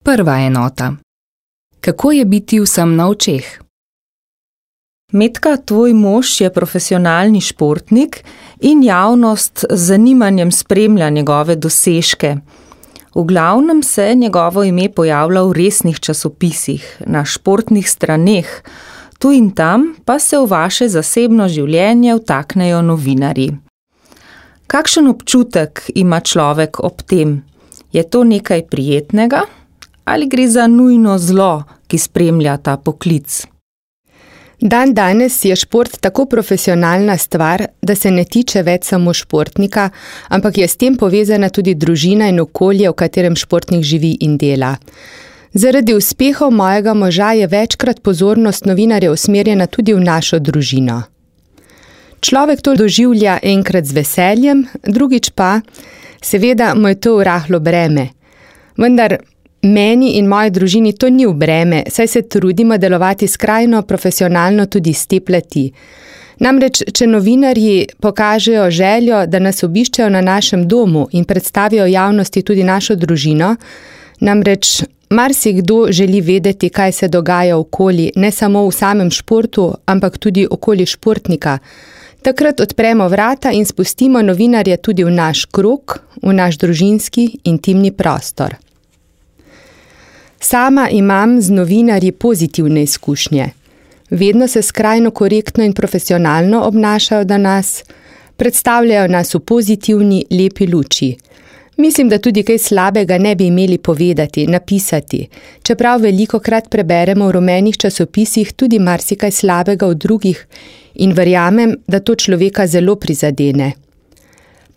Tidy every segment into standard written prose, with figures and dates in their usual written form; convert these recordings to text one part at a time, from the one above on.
Prva enota. Kako je biti vsem na očeh? Metka, tvoj mož je profesionalni športnik in javnost z zanimanjem spremlja njegove dosežke. V glavnem se njegovo ime pojavlja v resnih časopisih, na športnih straneh, tu in tam pa se v vaše zasebno življenje vtaknejo novinarji. Kakšen občutek ima človek ob tem? Je to nekaj prijetnega ali gre za nujno zlo, ki spremlja ta poklic? Danes je šport tako profesionalna stvar, da se ne tiče več samo športnika, ampak je s tem povezana tudi družina in okolje, v katerem športnik živi in dela. Zaradi uspehov mojega moža je večkrat pozornost novinarjev usmerjena tudi v našo družino. Človek to doživlja enkrat z veseljem, drugič pa, seveda mu je to rahlo breme. Vendar meni in moji družini to ni v breme, saj se trudimo delovati skrajno profesionalno tudi s te plati. Namreč, če novinarji pokažejo željo, da nas obiščejo na našem domu in predstavijo javnosti tudi našo družino, namreč marsikdo želi vedeti, kaj se dogaja okoli, ne samo v samem športu, ampak tudi okoli športnika. Takrat odpremo vrata in spustimo novinarje tudi v naš krog, v naš družinski, intimni prostor. Sama imam z novinarji pozitivne izkušnje. Vedno se skrajno korektno in profesionalno obnašajo do nas, predstavljajo nas v pozitivni, lepi luči. Mislim, da tudi kaj slabega ne bi imeli povedati, napisati, čeprav velikokrat preberemo v rumenih časopisih tudi marsikaj slabega v drugih in verjamem, da to človeka zelo prizadene.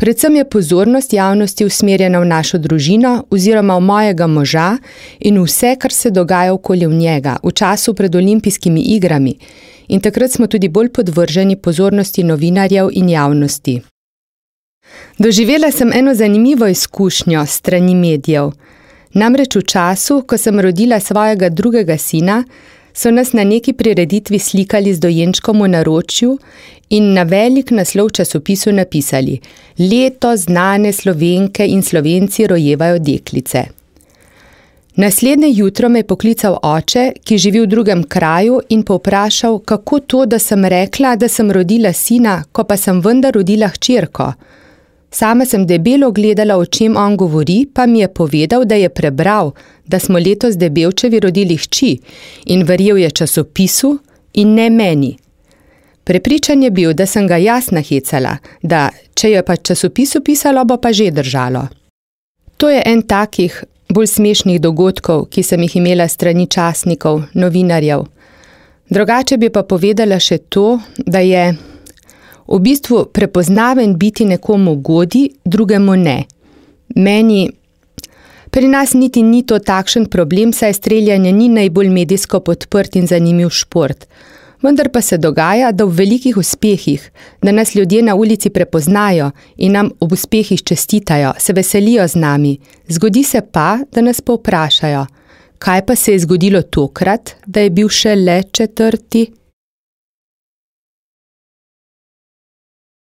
Predvsem je pozornost javnosti usmerjena v našo družino oziroma v mojega moža in vse, kar se dogaja okoli njega, v času pred olimpijskimi igrami, in takrat smo tudi bolj podvrženi pozornosti novinarjev in javnosti. Doživela sem eno zanimivo izkušnjo s strani medijev. Namreč v času, ko sem rodila svojega drugega sina, so nas na neki prireditvi slikali z dojenčkom v naročju in na velik naslov v časopisu napisali: Letos znane Slovenke in Slovenci rojevajo deklice. Naslednje jutro me je poklical oče, ki živi v drugem kraju, in povprašal, kako to, da sem rekla, da sem rodila sina, ko pa sem vendar rodila hčerko. Sama sem debelo gledala, o čem on govori, pa mi je povedal, da je prebral, da smo letos Debevčevi rodili hči in verjel je časopisu in ne meni. Prepričan je bil, da sem ga jaz nahecala, da če je pa časopisu pisalo, bo pa že držalo. To je en takih bolj smešnih dogodkov, ki sem jih imela strani časnikov, novinarjev. Drugače bi pa povedala še to, da je v bistvu prepoznaven biti nekomu godi, drugemu ne. Pri nas niti ni to takšen problem, saj streljanje ni najbolj medijsko podprt in zanimiv šport. Vendar pa se dogaja, da v velikih uspehih, da nas ljudje na ulici prepoznajo in nam ob uspehih čestitajo, se veselijo z nami. Zgodi se pa, da nas povprašajo, kaj pa se je zgodilo tokrat, da je bil šele 4.